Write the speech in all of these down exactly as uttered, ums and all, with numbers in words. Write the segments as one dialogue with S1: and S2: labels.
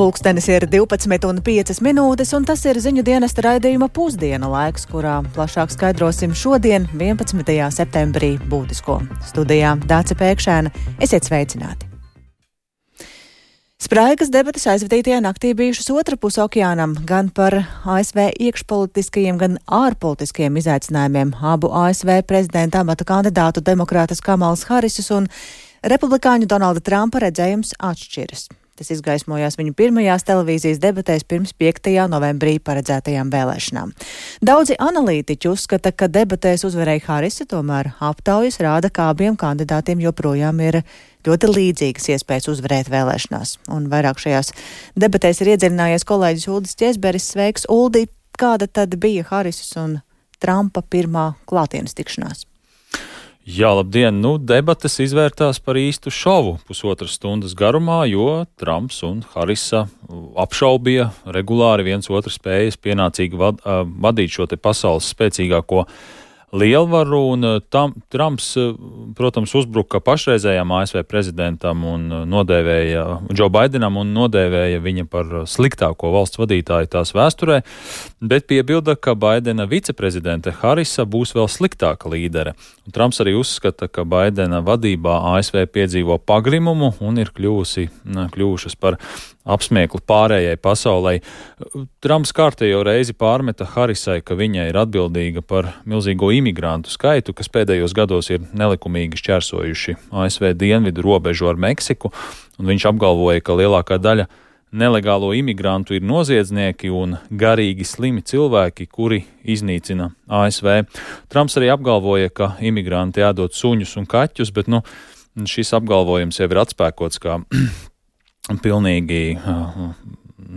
S1: Pulkstenis ir divpadsmit un piecas minūtes, un tas ir ziņu dienesta raidījuma pusdiena laiks, kurā plašāk skaidrosim šodien, vienpadsmitajā septembrī, būtisko. Studijā Dāce Pēkšēna. Esiet sveicināti! Spraigas debates aizvadītajā naktī bijušas otra puse okeānam, gan par A S V iekšpolitiskajiem, gan ārpolitiskajiem izaicinājumiem. Abu A S V prezidenta amata kandidātu demokrātas Kamalas Harisas un republikāņu Donalda Trumpa redzējums atšķiras. Tas izgaismojās viņu pirmajās televīzijas debatēs pirms piektajā novembrī paredzētajām vēlēšanām. Daudzi analītiķi uzskata, ka debatēs uzvarēja Harisa, tomēr aptaujas rāda, ka abiem kandidātiem joprojām ir ļoti līdzīgas iespējas uzvarēt vēlēšanās. Un vairāk šajās debatēs ir iedziļinājies kolēģis Uldis Ķesberis. Sveiks, Uldi! Kāda tad bija Harisas un Trumpa pirmā klātienes tikšanās?
S2: Jā, labdien! Nu, debates izvērtās par īstu šovu pusotras stundas garumā, jo Trumps un Harisa apšaubīja regulāri viens otru spējas pienācīgi vad, uh, vadīt šo te pasaules spēcīgāko lielvaru, un tam, Trumps, protams, uzbruka pašreizējām A S V prezidentam un nodēvēja Džo Baidenam un nodēvēja viņa par sliktāko valsts vadītāju tās vēsturē, bet piebilda, ka Baidena viceprezidente Harisa būs vēl sliktāka līdere. Un Trumps arī uzskata, ka Baidena vadībā A S V piedzīvo pagrimumu un ir kļuvusi, kļuvušas par apsmieklu pārējai pasaulē. Trumps kārtējo reizi pārmeta Harisai, ka viņa ir atbildīga par milzīgo imigrantu skaitu, kas pēdējos gados ir nelikumīgi šķērsojuši A S V dienvidu robežu ar Meksiku, un viņš apgalvoja, ka lielākā daļa nelegālo imigrantu ir noziedznieki un garīgi slimi cilvēki, kuri iznīcina A S V. Trumps arī apgalvoja, ka imigranti ēdot suņus un kaķus, bet nu, šis apgalvojums jau ir atspēkots kā pilnīgi uh,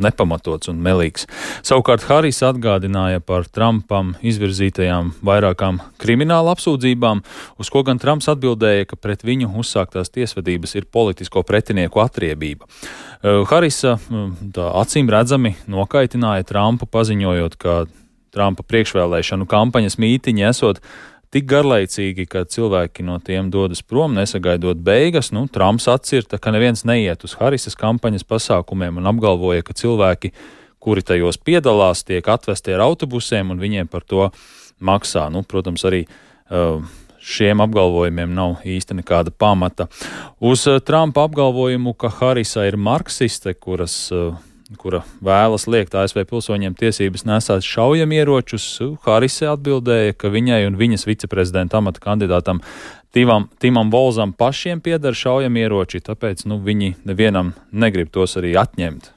S2: nepamatots un melīgs. Savukārt Haris atgādināja par Trumpam izvirzītajām vairākām krimināla apsūdzībām, uz ko gan Trumps atbildēja, ka pret viņu uzsāktās tiesvedības ir politisko pretinieku atriebība. Uh, Harisa uh, tā acīm redzami nokaitināja Trumpu, paziņojot, ka Trumpa priekšvēlēšanu kampaņas mītiņi esot tik garlaicīgi, ka cilvēki no tiem dodas prom, nesagaidot beigas. Nu, Trumps atcirta, ka neviens neiet uz Harisas kampaņas pasākumiem un apgalvoja, ka cilvēki, kuri tajos piedalās, tiek atvesti ar autobusiem un viņiem par to maksā. Nu, protams, arī uh, šiem apgalvojumiem nav īsti nekāda pamata. Uz uh, Trumpa apgalvojumu, ka Harisa ir marksiste, kuras uh, kura vēlas liekt A S V pilsoņiem tiesības nesāt šaujamieročus, Harisa atbildēja, ka viņai un viņas viceprezidenta amata kandidātam Timam, Timam Volzam pašiem pieder šaujamieroči, tāpēc nu, viņi nevienam negrib tos arī atņemt.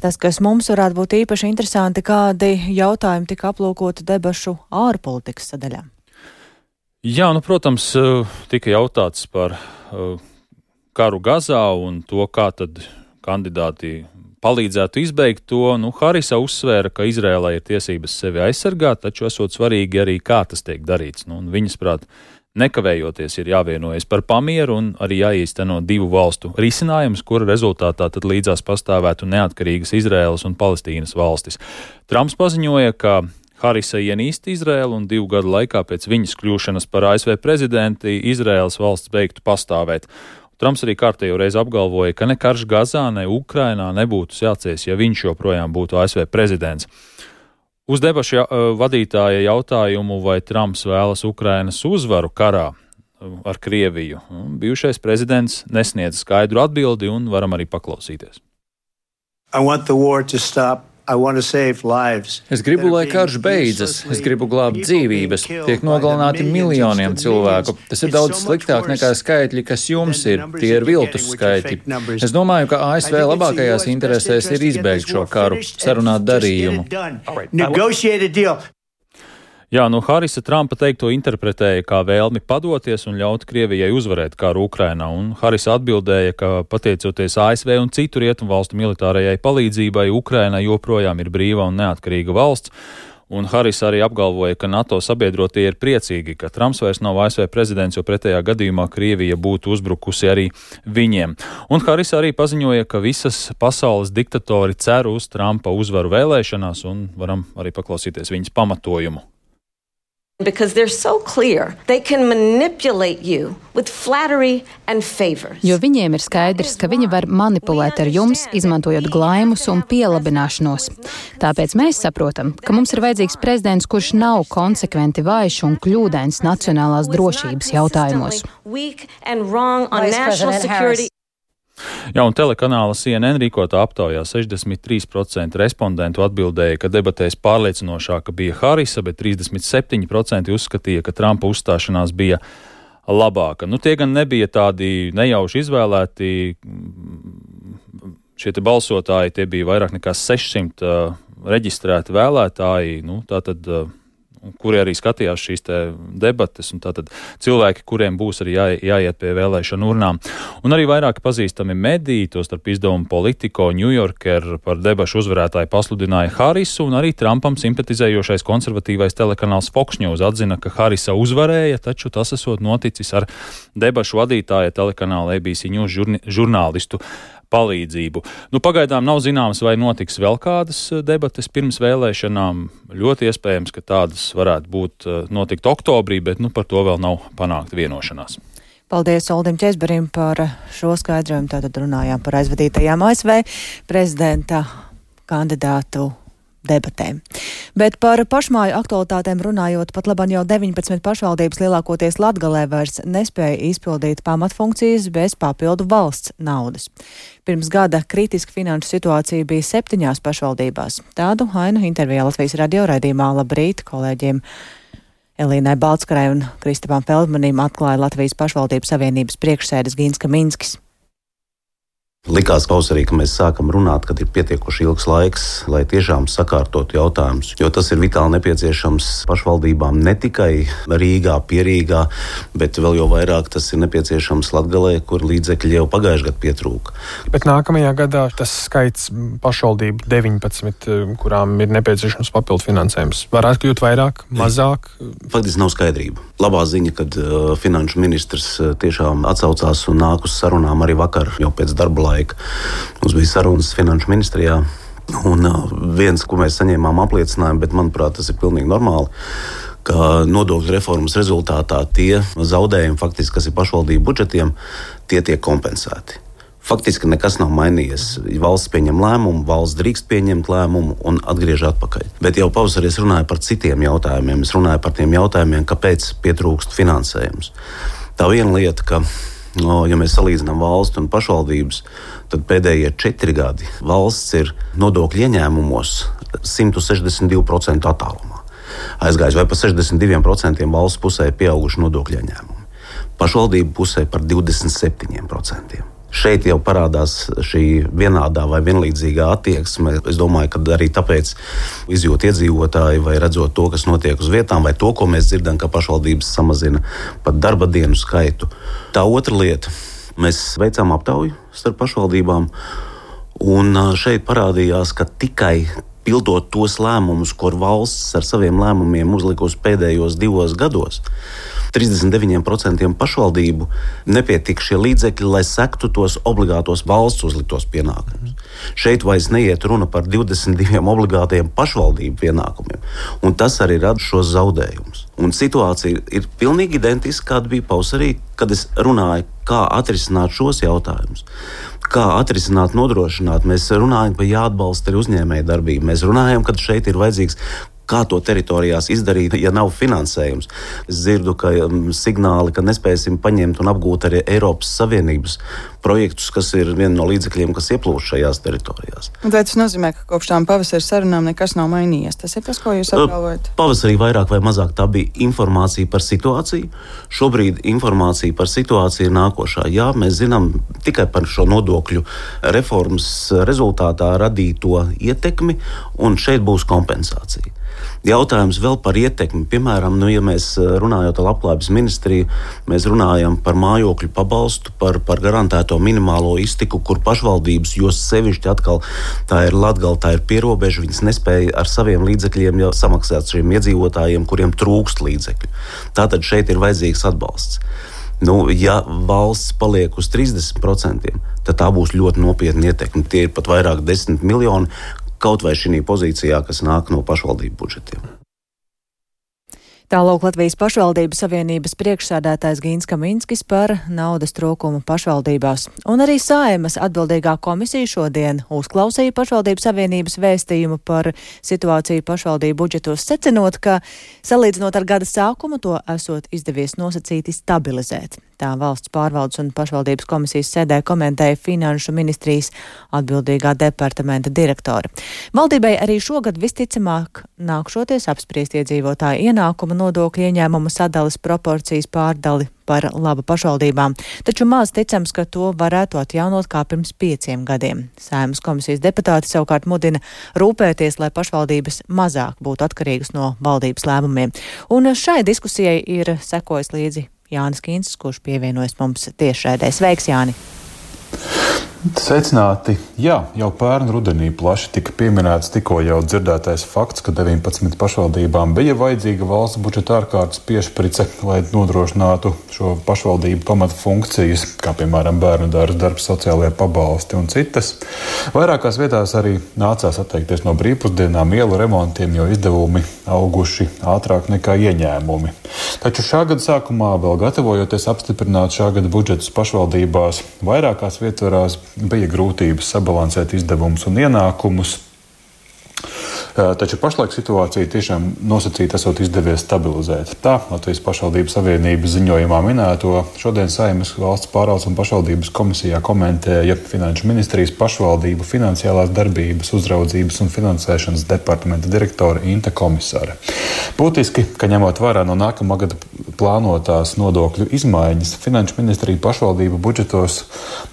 S1: Tas, kas mums varētu būt īpaši interesanti, kādi jautājumi tika aplūkoti debašu ārpolitikas sadaļā?
S2: Jā, nu, protams, tika jautāts par karu Gazā un to, kā tad kandidāti palīdzētu izbeigt to. Nu, Harisa uzsvēra, ka Izrēlai ir tiesības sevi aizsargāt, taču esot svarīgi arī, kā tas tiek darīts. Nu, viņas prāt, nekavējoties ir jāvienojas par pamieru un arī jāīsteno divu valstu risinājums, kura rezultātā tad līdzās pastāvētu neatkarīgas Izrēlas un Palestīnas valstis. Trumps paziņoja, ka Harisa ienīst Izrēlu un divu gadu laikā pēc viņas kļūšanas par A S V prezidenti Izrēlas valsts beigtu pastāvēt. Trumps arī kārtējo reizi apgalvoja, ka ne karš Gazā, ne Ukrainā nebūtu sācies, ja viņš joprojām būtu A S V prezidents. Uz debašu ja, vadītāja jautājumu, vai Trumps vēlas Ukrainas uzvaru karā ar Krieviju, bijušais prezidents nesniedz skaidru atbildi un varam arī paklausīties.
S3: I want the war to stop.
S4: Es gribu, lai karš beidzas, es gribu glābt dzīvības, tiek nogalināti miljoniem cilvēku. Tas ir daudz sliktāk nekā skaitļi, kas jums ir, tie ir viltus skaitļi. Es domāju, ka A S V labākajās interesēs ir izbeigt šo karu, sarunāt darījumu.
S2: Jā, nu Harisa Trumpa teikto interpretēja kā vēlmi padoties un ļaut Krievijai uzvarēt karu Ukrainā, un Harisa atbildēja, ka pateicoties A S V un citu rietumu valstu militārajai palīdzībai, Ukraina joprojām ir brīva un neatkarīga valsts, un Harisa arī apgalvoja, ka NATO sabiedrotie ir priecīgi, ka Trumps vairs nav A S V prezidents, jo pretējā gadījumā Krievija būtu uzbrukusi arī viņiem. Un Harisa arī paziņoja, ka visas pasaules diktatori cer uz Trumpa uzvaru vēlēšanās, un varam arī paklausīties viņas pamatojumu.
S5: Because they're so clear, they can manipulate you with flattery and favors.
S6: Jo viņiem ir skaidrs, ka viņi var manipulēt ar jums, izmantojot glaimus un pielabināšanos. Tāpēc mēs saprotam, ka mums ir vajadzīgs prezidents, kurš nav konsekventi vājš un kļūdains nacionālās drošības jautājumos.
S2: Jā, un telekanāla C N N rīkotā aptaujā sešdesmit trīs procenti respondentu atbildēja, ka debatēs pārliecinošāka bija Harisa, bet trīsdesmit septiņi procenti uzskatīja, ka Trumpa uzstāšanās bija labāka. Nu, tie gan nebija tādi nejauši izvēlēti, šie te balsotāji, tie bija vairāk nekā sešsimt uh, reģistrēti vēlētāji, nu, tātad, uh, kuri arī skatījās šīs te debates, un tātad cilvēki, kuriem būs arī jā, jāiet pie vēlēšanu urnām. Un arī vairāki pazīstami mediji, tostarp izdevumu Politico, New Yorker par debašu uzvarētāju pasludināja Harisu, un arī Trumpam simpatizējošais konservatīvais telekanāls Fox News atzina, ka Harisa uzvarēja, taču tas esot noticis ar debašu vadītāja telekanāla A B C News žurni, žurnālistu palīdzību. Nu, pagaidām nav zināms, vai notiks vēl kādas debates pirms vēlēšanām. Ļoti iespējams, ka tādas varētu būt notikt oktobrī, bet nu, par to vēl nav panākta vienošanās.
S1: Paldies Oldim Česberim par šo skaidrojumu. Tātad runājām par aizvadītajām A S V prezidenta kandidātu debatēm. Bet par pašmāju aktualitātēm runājot, pat labāk jau deviņpadsmit pašvaldības lielākoties Latgalē vairs nespēja izpildīt pamatfunkcijas bez papildu valsts naudas. Pirms gada kritiska finanšu situācija bija septiņās pašvaldībās. Tādu ainu intervijā Latvijas radio raidījumā Labrīt kolēģiem Elīnai Baltskarai un Kristapam Feldmanim atklāja Latvijas pašvaldību savienības priekšsēdis Gins Kaminskis.
S7: Likās pavasarī, ka mēs sākam runāt, kad ir pietiekoši ilgs laiks, lai tiešām sakārtotu jautājumus, jo tas ir vitāli nepieciešams pašvaldībām ne tikai Rīgā, Pierīgā, bet vēl jau vairāk tas ir nepieciešams Latgalē, kur līdzekļi jau pagājušajā gadā pietrūka.
S8: Bet nākamajā gadā tas skaits pašvaldību deviņpadsmit, kurām ir nepieciešams papildu finansējums, varētu kļūt vairāk, mazāk?
S7: Faktiski nav skaidrība. Labā ziņa, kad uh, finanšu ministrs uh, tiešām atsaucās un nāk uz sarunām arī vakar, jau pēc darba laika. Mums bija sarunas finanšu ministrijā, un uh, viens, ko mēs saņēmām apliecinājumu, bet manuprāt, tas ir pilnīgi normāli, ka nodokļu reformas rezultātā tie zaudējumi, faktiski, kas ir pašvaldību budžetiem, tie tiek kompensēti. Faktiski nekas nav mainījies. Valsts pieņem lēmumu, valsts drīkst pieņemt lēmumu un atgriež atpakaļ. Bet jau pavasarī es runāju par citiem jautājumiem. Es runāju par tiem jautājumiem, kāpēc pietrūkst finansējums. Tā viena lieta, ka, no, ja mēs salīdzinām valstu un pašvaldības, tad pēdējie četri gadi valsts ir nodokļu ieņēmumos simt sešdesmit divi procenti attālumā. Aizgājis vai pa sešdesmit diviem procentiem valsts pusē pieauguši nodokļu ieņēmumi. Pašvaldību pusē par divdesmit septiņiem procentiem. Šeit jau parādās šī vienādā vai vienlīdzīgā attieksme. Es domāju, ka arī tāpēc izjūt iedzīvotāji vai redzot to, kas notiek uz vietām, vai to, ko mēs dzirdam, ka pašvaldības samazina pat darba dienu skaitu. Tā otra lieta. Mēs veicām aptauju starp pašvaldībām, un šeit parādījās, ka tikai pildot tos lēmumus, ko valsts ar saviem lēmumiem uzlikusi pēdējos divos gados, trīsdesmit deviņiem procentiem pašvaldību nepietika šie līdzekļi, lai sektu tos obligātos valsts uzliktos pienākumus. Šeit vairs neiet runa par divdesmit diviem obligātiem pašvaldību pienākumiem, un tas arī rada šos zaudējumus. Un situācija ir pilnīgi identiska, kāda bija pavasarī, kad es runāju, kā atrisināt šos jautājumus. Kā atrisināt, nodrošināt. Mēs runājam, ka jāatbalsta arī uzņēmēja darbība. Mēs runājam, ka šeit ir vajadzīgs, kā to teritorijās izdarīt, ja nav finansējums. Es dzirdu, ka um, signāli, ka nespēsim paņemt un apgūt arī Eiropas Savienības projektus, kas ir viena no līdzekļiem, kas ieplūst šajās teritorijās.
S9: Un tas nozīmē, ka kopš tām pavasara sarunām nekas nav mainījies. Tas ir tas, ko jūs apgalvojat?
S7: Pavasarī vairāk vai mazāk tā bija informācija par situāciju. Šobrīd informācija par situāciju ir nākošā. Jā, mēs zinām tikai par šo nodokļu reformas rezultātā radīto ietekmi, un šeit būs kompensācija. Jautājums vēl par ietekmi. Piemēram, nu, ja mēs runājot ar Labklājības ministriju, mēs runājam par mājokļu pabalstu, par, par garantēto minimālo iztiku, kur pašvaldības, jo sevišķi atkal tā ir Latgala, tā ir pierobeža, viņas nespēja ar saviem līdzekļiem jau samaksāt šiem iedzīvotājiem, kuriem trūkst līdzekļu. Tātad šeit ir vajadzīgs atbalsts. Nu, ja valsts paliek uz trīsdesmit procentiem, tad tā būs ļoti nopietna ietekme. Tie ir pat vairāk desmit miljoni, kaut vai šī pozīcijā, kas nāk no pašvaldību budžetiem.
S1: Tālāk Latvijas pašvaldības savienības priekšsēdētājs Gīns Kaminskis par naudas trūkumu pašvaldībās. Un arī Saeimas atbildīgā komisija šodien uzklausīja pašvaldības savienības vēstījumu par situāciju pašvaldību budžetos, secinot, ka salīdzinot ar gada sākumu to esot izdevies nosacīti stabilizēt. Tā valsts pārvaldes un pašvaldības komisijas sēdē komentēja Finanšu ministrijas atbildīgā departamenta direktore. Valdībai arī šogad visticamāk nākšoties apspriest iedzīvotāju ienākumu nodokļu ieņēmumu sadalas proporcijas pārdali par labu pašvaldībām, taču maz ticams, ka to varētu atjaunot kā pirms pieciem gadiem. Saeimas komisijas deputāti savukārt mudina rūpēties, lai pašvaldības mazāk būtu atkarīgas no valdības lēmumiem. Un šai diskusijai ir sekojis līdzi Jānis Kīncis, kurš pievienojas mums tiešraidē. Sveiks, Jāni!
S10: Sveicināti! Jā, jau pērn rudenī plaši tika pieminēts tikko jau dzirdētais fakts, ka deviņpadsmit pašvaldībām bija vajadzīga valsts budžeta ārkārtas piešprice, lai nodrošinātu šo pašvaldību pamata funkcijas, kā piemēram bērnu dārza darbs, sociālajie pabalsti un citas. Vairākās vietās arī nācās atteikties no brīvpusdienām, ielu remontiem, jo izdevumi auguši ātrāk nekā ieņēmumi. Taču šā gada sākumā, vēl gatavojoties apstiprināt šā gada budžetus pašvaldībās, vairākās vietvarās bija grūtības sabalansēt izdevumus un ienākumus. Taču pašlaik situācija tiešām nosacīta esot izdevies stabilizēt. Tā Latvijas pašvaldības savienības ziņojumā minēto šodien Saeimas valsts pārvaldes un pašvaldības komisijā komentēja Finanšu ministrijas pašvaldību finansiālās darbības, uzraudzības un finansēšanas departamenta direktore Inte Komisāre. Būtiski, ka ņemot vērā no nākamā gada plānotās nodokļu izmaiņas, Finanšu ministrija pašvaldību budžetos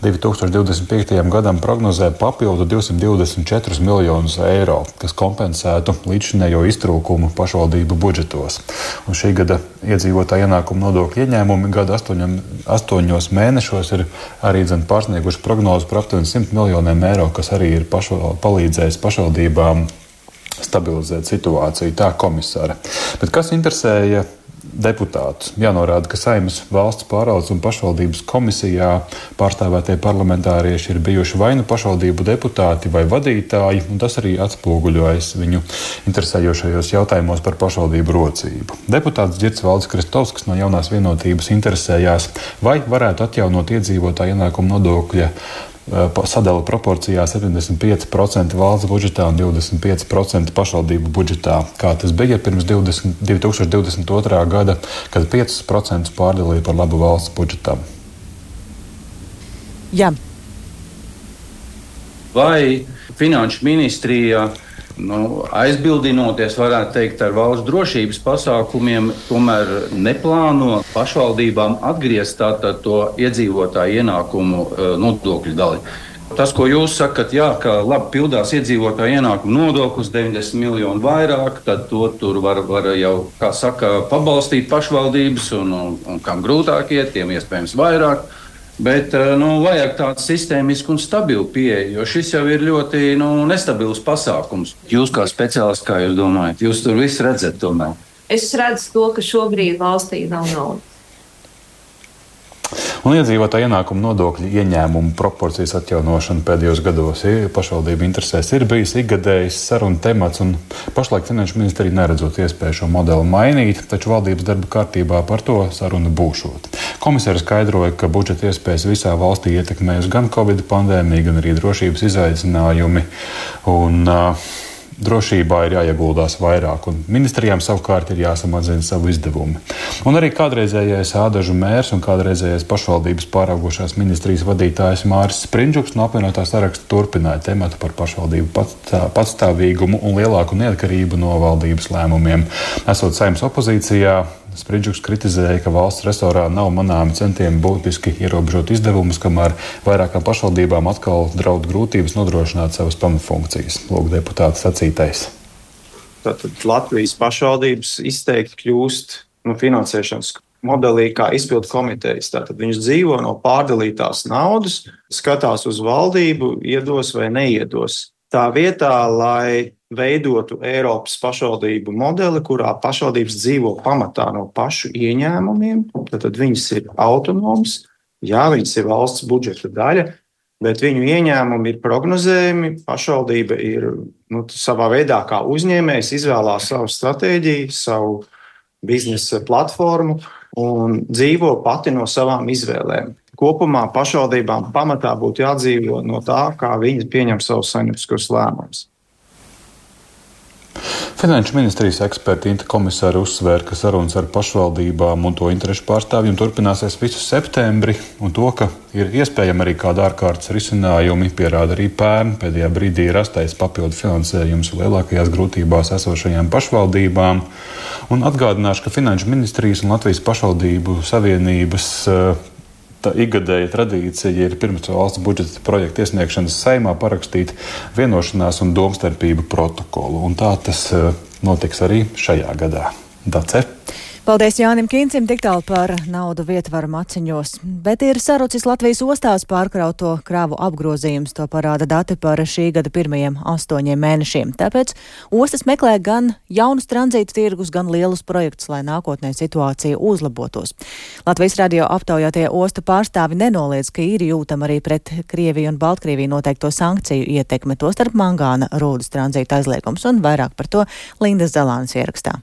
S10: divi tūkstoši divdesmit piektajam gadam prognozē papildu divsimt divdesmit četrus miljonus eiro, kas kompensētu līdzšinējo iztrūkumu pašvaldību budžetos. Un šī gada iedzīvotāja ienākuma nodokļu ieņēmumi gada astoņam, astoņos mēnešos ir arī dzen pārsnieguši prognozi par aptuveni simt miljoniem eiro, kas arī ir pašval, palīdzējis pašvaldībām stabilizēt situāciju, tā komisāra. Bet kas interesēja deputātus? Jānorāda, ka Saeimas valsts pārvaldes un pašvaldības komisijā pārstāvētie parlamentārieši ir bijuši vai nu pašvaldību deputāti vai vadītāji, un tas arī atspoguļojas viņu interesējošajos jautājumos par pašvaldību rocību. Deputāts Girts Valdis Kristovskis no Jaunās vienotības interesējās, vai varētu atjaunot iedzīvotāju ienākumu nodokļa sadala proporcijā septiņdesmit pieci procenti valsts budžetā un divdesmit pieci procenti pašvaldību budžetā, kā tas bija pirms divi tūkstoši divdesmit otrā gada, kad piecus procentus pārdalīja par labu valsts budžetam.
S1: Jā.
S11: Vai Finanšu ministrija Nu, aizbildinoties, varētu teikt, ar valsts drošības pasākumiem, tomēr neplāno pašvaldībām atgriezt tātad to iedzīvotāju ienākumu nodokļu daļu. Tas, ko jūs sakat, jā, ka labi pildās iedzīvotāju ienākumu nodoklis, deviņdesmit miljonu vairāk, tad to tur var, var jau, kā saka, pabalstīt pašvaldības, un, un, un kam grūtāk iet, tiem iespējams vairāk. Bet nu, vajag tādu sistēmisku un stabilu pieeju, jo šis jau ir ļoti nu, nestabils pasākums. Jūs kā speciālists, kā jūs domājat, jūs tur visu redzat tomēr?
S5: Es redzu to, ka šobrīd valstī nav naudas.
S10: Un iedzīvotāju ienākumu nodokļu ieņēmumu proporcijas atjaunošana pēdējos gados pašvaldību interesēs ir bijis ikgadējs sarunu temats, un pašlaik Finanšu ministrija neredzot iespēju šo modeli mainīt, taču valdības darba kārtībā par to saruna būšot. Komisāri skaidroja, ka budžeta iespējas visā valstī ietekmējas gan Covid pandēmija, gan arī drošības izaicinājumi, un uh, drošībā ir jāieguldās vairāk, un ministrijām savukārt ir jāsamazina savu izdevumu. Un arī kādreizējais Ādažu mērs un kādreizējais pašvaldības pāraugošās ministrijas vadītājs Māris Sprindžuks no apvienotā saraksta turpināja tematu par pašvaldību patstāvīgumu un lielāku neatkarību no valdības lēmumiem. Esot Saeimas opozīcijā, Sprindžuks kritizēja, ka valsts resorā nav manāmi centieni būtiski ierobežot izdevumus, kamēr vairākām pašvaldībām atkal draud grūtības nodrošināt savas pamatfunkcijas. Lūk, deputāta sacītais.
S12: Tātad Latvijas pašvaldības izteikti kļūst nu, finansēšanas modelī kā izpildu komitejas. Tātad viņas dzīvo no pārdalītās naudas, skatās uz valdību, iedos vai neiedos. Tā vietā, lai veidotu Eiropas pašvaldību modeli, kurā pašvaldības dzīvo pamatā no pašu ieņēmumiem, tad viņas ir autonomas, jā, viņas ir valsts budžeta daļa, bet viņu ieņēmumi ir prognozējumi, pašvaldība ir nu, savā veidā kā uzņēmējs izvēlās savu stratēģiju, savu biznesa platformu un dzīvo pati no savām izvēlēm. Kopumā pašvaldībām pamatā būtu jādzīvo no tā, kā viņi pieņem savus saimnieciskos lēmumus.
S10: Finanšu ministrijas eksperti Inta komisāri uzsvēra, ka sarunas ar pašvaldībām un to interešu pārstāvjiem turpināsies visu septembri, un to, ka ir iespējami arī kāda ārkārtas risinājumi, pierāda arī pērn pēdējā brīdī rastais papildu finansējums lielākajās grūtībās esošajām pašvaldībām. Un atgādināšu, ka Finanšu ministrijas un Latvijas pašvaldību savienības Tā ikgadēja tradīcija ir pirms valsts budžeta projekta iesniegšanas Saeimā parakstīt vienošanās un domstarpību protokolu. Un tā tas notiks arī šajā gadā. Dace.
S1: Paldies Jānim Kīncim tik tālu par naudu vietvaru maciņos. Bet ir sarucis Latvijas ostās pārkrauto kravu apgrozījums. To parāda dati par šī gada pirmajiem astoņiem mēnešiem. Tāpēc ostas meklē gan jaunus tranzītu tirgus, gan lielus projektus, lai nākotnē situācija uzlabotos. Latvijas radio aptaujātie ostu pārstāvi nenoliedz, ka ir jūtama arī pret Krieviju un Baltkrieviju noteikto sankciju ietekme, tostarp mangāna rūdas tranzīta aizliegums, un vairāk par to Lindas Zalānas ierakstā.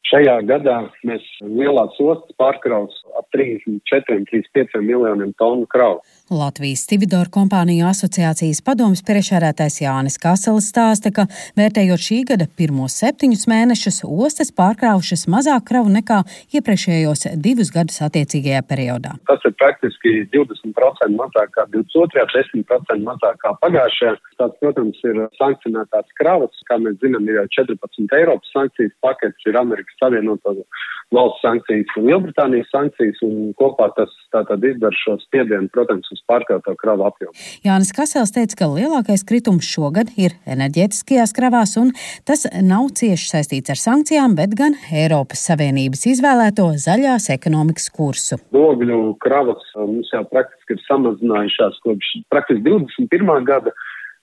S13: Šajā gadā mēs lielās ostas pārkraus ap trīsdesmit četriem līdz pieciem miljoniem tonu kravu.
S14: Latvijas Stividoru kompāniju asociācijas padomes priekšsēdētājs Jānis Kaselis stāsta, ka vērtējot šī gada pirmos septiņus mēnešus, ostas pārkraušas mazāk kravu nekā iepriekšējos divus gadus attiecīgajā periodā.
S13: Tas ir praktiski divdesmit procenti mazāk kā divdesmit otrajā, desmit procenti mazāk kā pagājušajā. Tāds, protams, ir sankcionētās kravas, kā mēs zinām, ir jau četrpadsmit Eiropas sankcijas paketes, ir Amerikas Savienoto valsts sankcijas un Lielbritānijas sankcijas, un kopā tas tātad izdara šo spiedienu, protams, uz pārkrauto kravu apjomu.
S14: Jānis Kasels teica, ka lielākais kritums šogad ir enerģētiskajās kravās, un tas nav cieši saistīts ar sankcijām, bet gan Eiropas Savienības izvēlēto zaļās ekonomikas kursu.
S13: Ogļu kravas mums jau praktiski ir samazinājušās kopš praktiski divdesmit pirmā gada.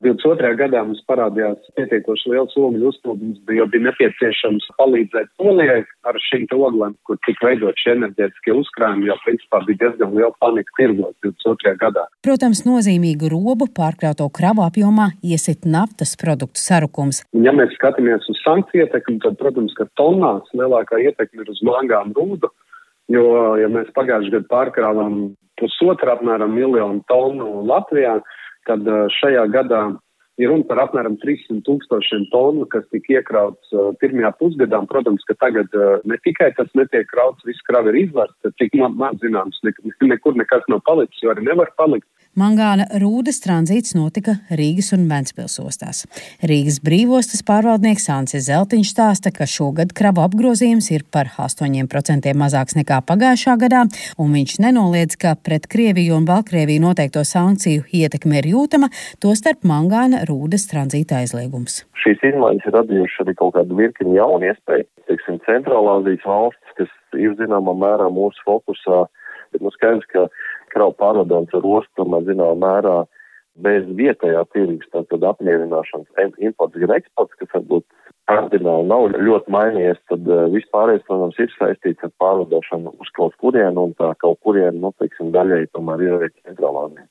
S13: divdesmit otrajā gadā mums parādījās pietiekoši liels ogļu uzplūdums, jo bija nepieciešams palīdzēt Polijai ar šīm oglēm, kur tika veidot šie enerģētiskie uzkrājumi, jo principā bija diezgan liela panika tirgos divdesmit otrajā gadā.
S14: Protams, nozīmīgu robu pārkrauto kravu apjomā iesit naftas produktu sarukums.
S13: Un, ja mēs skatāmies uz sankciju ietekmi, tad, protams, ka tonnās lielākā ietekme ir uz mangānu rūdu, jo, ja mēs pagājušajā gadā pārkrāvām pusotru apmēram miljonu tonu Latvijā, tad šajā gadā ir runa par apmēram trīssimt tūkstošiem tonu, kas tika iekrauts uh, pirmajā pusgadā. Protams, ka tagad uh, ne tikai tas netiek krauts, viss kravi ir izvērsts, tik man, man zināms, ne, nekur nekas nav palicis, jo arī nevar palikt.
S14: Mangāna rūdas tranzīts notika Rīgas un Ventspils ostās. Rīgas brīvostas pārvaldnieks Ancis Zeltiņš stāsta, ka šogad kravu apgrozījums ir par astoņiem procentiem mazāks nekā pagājušā gadā, un viņš nenoliedz, ka pret Krieviju un Baltkrieviju noteikto sankciju ietekme ir jūtama, tostarp mangāna rūdas tranzīta aizliegums.
S15: Šīs izmaiņas ir radījušas arī kaut kādu virkni jaunu iespēju. Teiksim, Centrālāzijas valstis, kas ir zināmā mērā mūsu fokusā, bet nu skaidrs, ka kravu pārvadājums ar ostu tomēr zināmā mērā bez vietējā tirgus, tātad apmierināšanas imports gan eksports, kas varbūt kardināli nav ļoti mainījies, tad vispārējais, protams, ir saistīts ar pārvadāšanu uz kaut kurienu, un tā kaut kurienu, nu, teiksim, daļai tomēr ir arī Centrālāzija.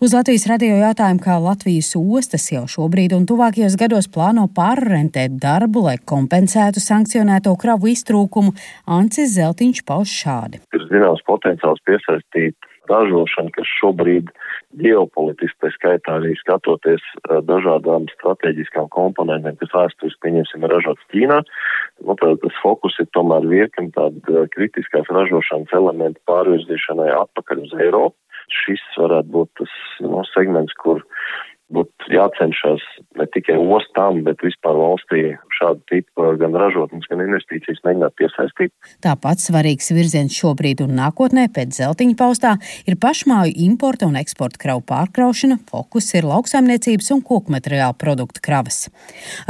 S14: Uz Latvijas radio jautājumu, kā Latvijas ostas jau šobrīd un tuvākajos gados plāno pārrentēt darbu, lai kompensētu sankcionēto kravu iztrūkumu, Ancis Zeltiņš pauž šādi.
S15: Ir zināms potenciāls piesaistīt ražošanu, kas šobrīd ģeopolitiski, tā skaitā arī skatoties dažādām strateģiskām komponentiem, kas vēsturiski, pieņemsim, ir ražots Ķīnā. Nu, tad tas fokus ir tomēr virkni tāda kritiskās ražošanas elementu pārvirzīšanai atpakaļ uz Eiropu. Šis varētu būt tas no, segments, kur būtu jācenšas ne tikai ostām, bet vispār valstī šādu tipu gan ražotnes, gan investīcijas mēģināt piesaistīt.
S14: Tāpat svarīgs virziens šobrīd un nākotnē pēc Zeltiņa paustā ir pašmāju importa un eksporta kravu pārkraušana, fokus ir lauksaimniecības un kokmateriālu produktu kravas.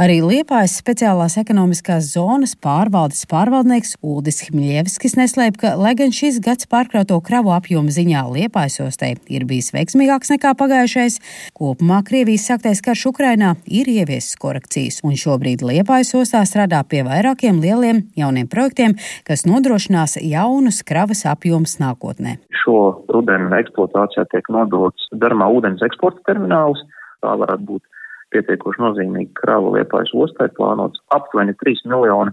S14: Arī Liepājas speciālās ekonomiskās zonas pārvaldes pārvaldnieks Uldis Hmiļevskis neslēp, ka, lai gan šis gads pārkrauto kravu apjoma ziņā Liepājas ostai ir bijis veiksmīgāks nekā pagājušais, kopumā Krievijas sāktais karš Ukrainā ir ieviesis korekcijas, un šobrīd Liepājas ostā strādā pie vairākiem lieliem jauniem projektiem, kas nodrošinās jaunus kravas apjomus nākotnē.
S16: Šo rudenu eksploatācijā tiek nodots Darmā ūdens eksporta termināls. Tā varētu būt pietiekoši nozīmīga krava Liepājas ostai, plānots aptuveni trīs miljoni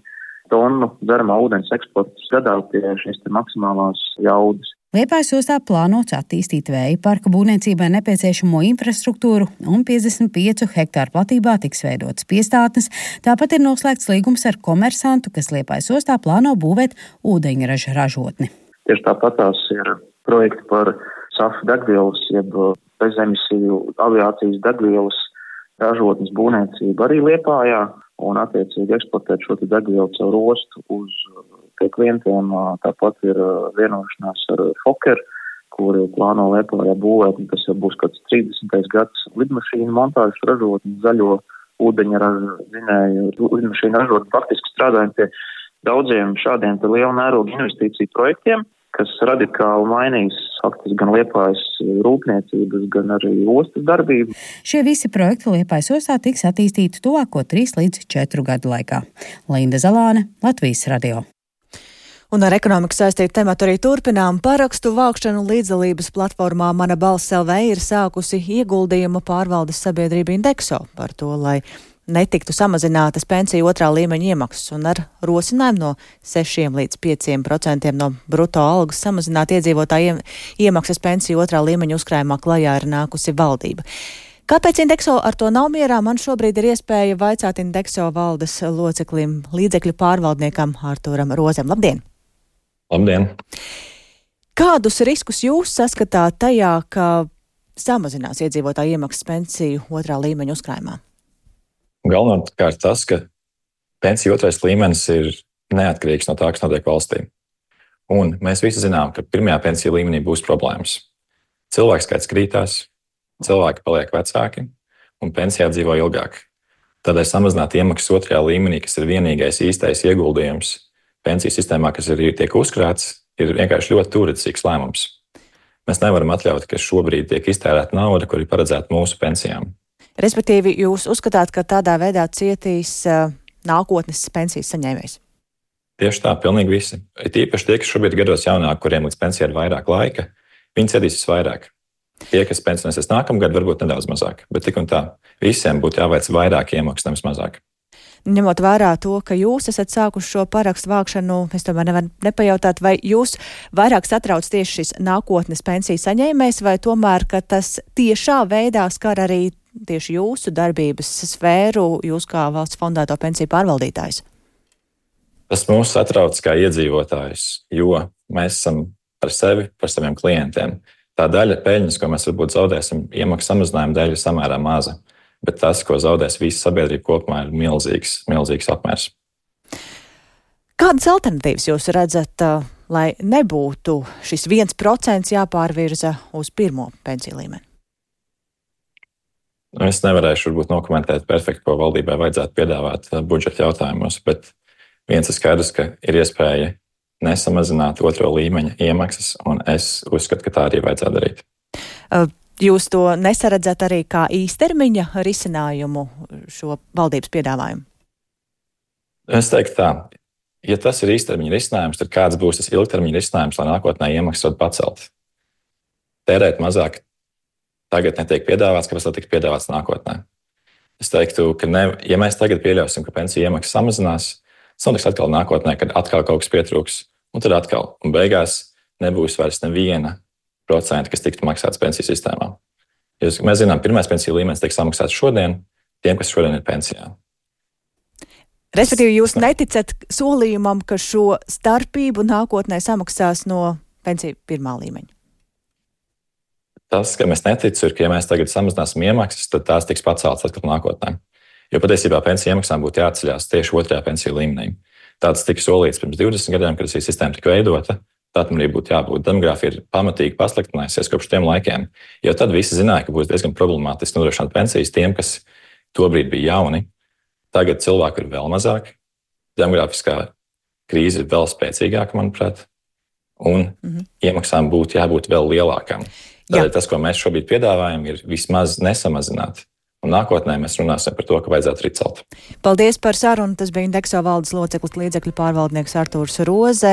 S16: tonu dzeramā ūdens eksports gadā pie šīs te maksimālās jaudas.
S14: Liepājas ostā plānots attīstīt vēja parka būvniecībai nepieciešamo infrastruktūru un piecdesmit piecu hektāru platībā tiks veidotas piestātnes. Tāpat ir noslēgts līgums ar komersantu, kas Liepājas ostā plāno būvēt ūdeņraža ražotni.
S16: Tieši tāpat tās ir projekti par safu degvielas, jeb bezemisiju aviācijas degvielas ražotnes būvniecību arī Liepājā un attiecīgi eksportēt šo te degvielu caur ostu uz pie klientiem. Tāpat ir vienošanās ar Fokker, kuri plāno Liepājā būvēt, un tas jau būs kāds trīsdesmitais gads lidmašīnu montāžas ražotni, zaļo ūdeņraža zinēju lidmašīnu ražotni. Faktiski strādājam pie daudziem šādiem te liela mēroga investīciju projektiem, kas radikāli mainīs faktiski gan Liepājas rūpniecības, gan arī ostas darbību.
S14: Šie visi projekti Liepājas ostā tiks attīstīti tuvāko trīs līdz četru gadu laikā. Linda Zalāne, Latvijas radio.
S1: Un ar ekonomiku saistītu tematu arī turpinām. Parakstu vākšanu līdzdalības platformā Mana balss L V ir sākusi ieguldījuma pārvaldes sabiedrība Indexo par to, lai netiktu samazinātas pensiju otrā līmeņa iemaksas, un ar rosinājumu no sešiem līdz pieciem procentiem no bruto algas samazināt iedzīvotāju iemaksas pensiju otrā līmeņa uzkrājumā klajā ir nākusi valdība. Kāpēc Indexo ar to nav mierā? Man šobrīd ir iespēja vaicāt Indexo valdes loceklim, līdzekļu pārvaldniekam Artūram Rozem. Labdien!
S17: Labdien!
S1: Kādus riskus jūs saskatāt tajā, ka samazinās iedzīvotāju iemaksas pensiju otrā līmeņa uzkrājumā?
S17: Galvenokārt tas, ka pensiju otrais līmenis ir neatkarīgs no tā, kas notiek valstī. Un mēs visi zinām, ka pirmajā pensiju līmenī būs problēmas. Cilvēku skaits krītās, cilvēki paliek vecāki un pensijā dzīvo ilgāk. Tādēļ samazināt iemaksas otrajā līmenī, kas ir vienīgais īstais ieguldījums pensiju sistēmā, kas ir tiek uzkrāts, ir vienkārši ļoti turīcīgs lēmums. Mēs nevaram atļaut, ka šobrīd tiek iztērēta nauda, kur ir paredzēta mūsu pensijām.
S1: Respektīvi, jūs uzskatāt, ka tādā veidā cietīs uh, nākotnes pensijas saņēmējs?
S17: Tieši tā, pilnīgi visi. Ir īpaši tie, kas šobrīd gados jaunāk, kuriem līdz pensijai ir vairāk laika, viņi cietīs visvairāk. Tie, kas pensionēsies nākamgad, varbūt nedaudz mazāk, bet tik un tā, visiem būtu jāveic vairāk iemaksas, nevis mazāk.
S1: Ņemot vērā to, ka jūs esat sākuši šo parakstu vākšanu, es tomēr nevaru nepajautāt, vai jūs vairāk satrauc tieši šis nākotnes pensiju saņēmējs, vai tomēr, ka tas tiešā veidā skar arī tieši jūsu darbības sfēru, jūs kā valsts fondēto pensiju pārvaldītājs?
S17: Tas mūs satrauc kā iedzīvotājs, jo mēs esam par sevi, par saviem klientiem. Tā daļa peļņas, ko mēs varbūt zaudēsim, iemaksu samazinājuma dēļ ir samērā maza, bet tas, ko zaudēs visa sabiedrība kopumā, ir milzīgs, milzīgs apmērs.
S1: Kādas alternatīvas jūs redzat, lai nebūtu šis viens procents jāpārvirza uz pirmo pensiju līmeni?
S17: Es nevarēšu varbūt nokomentēt perfekti, ko valdībai vajadzētu piedāvāt budžeta jautājumos, bet viens ir skaidrs, ka ir iespēja nesamazināt otro līmeņa iemaksas, un es uzskatu, ka tā arī vajadzētu darīt.
S1: Jūs to nesaredzat arī kā īstermiņa risinājumu šo valdības piedāvājumu?
S17: Es teiktu tā, ja tas ir īstermiņa risinājums, tad kāds būs tas ilgtermiņa risinājums, lai nākotnē iemaksas var pacelt? Tērēt mazāk tagad netiek piedāvāts, kāpēc tā tiek piedāvāts nākotnē. Es teiktu, ka ne, ja mēs tagad pieļausim, ka pensiju iemaksas samazinās, tas notiks atkal nākotnē, kad atkal kaut kas pietrūks, un tad atkal, un beigās nebūs vairs neviena procenta, kas tiktu maksāts pensiju sistēmā. Jūs, mēs zinām, pirmais pensiju līmenis tiek samaksāts šodien, tiem, kas šodien ir pensijā.
S1: Respektīvi, jūs neticat solījumam, ka šo starpību nākotnē samaksās no pensiju pirmā līmeņa?
S17: Tas, ka mēs neticu, ir, ka ja mēs tagad samazināsim iemaksas, tad tās tiks paceltas atkal nākotnē. Jo patiesībā pensiju iemaksām būtu jāatceļās tieši otrajā pensiju līmenī. Tāds tika solīts pirms divdesmit gadiem, kad šī sistēma tika veidota. Tā tam arī būtu jābūt. Demogrāfija ir pamatīgi pasliktinājusies kopš tiem laikiem, jo tad visi zināja, ka būs diezgan problemātiski nodrošināt pensijas tiem, kas tobrīd bija jauni. Tagad cilvēku ir vēl mazāk, demogrāfiskā krīze ir vēl spēcīgāka, manuprāt, un mm-hmm. iemaksām būtu jābūt vēl lielākām. Tādēļ tas, ko mēs šobrīd piedāvājam, ir vismaz nesamazināt. Un nākotnē mēs runāsim par to, ka vajadzētu arī celt.
S1: Paldies par sarunu. Tas bija Indexo valdes loceklis līdzekļu pārvaldnieks Artūrs Roze.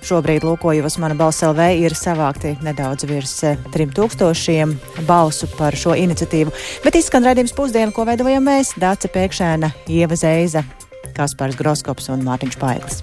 S1: Šobrīd, lūkojos, Mana balss L V ir savākti nedaudz virs trim tūkstošiem balsu par šo iniciatīvu. Bet izskan raidījums Pusdiena, ko veidojam mēs, Dāce Pēkšēna, Ieva Zeiza, Kaspars Groskops un Mārtiņš Paeglis.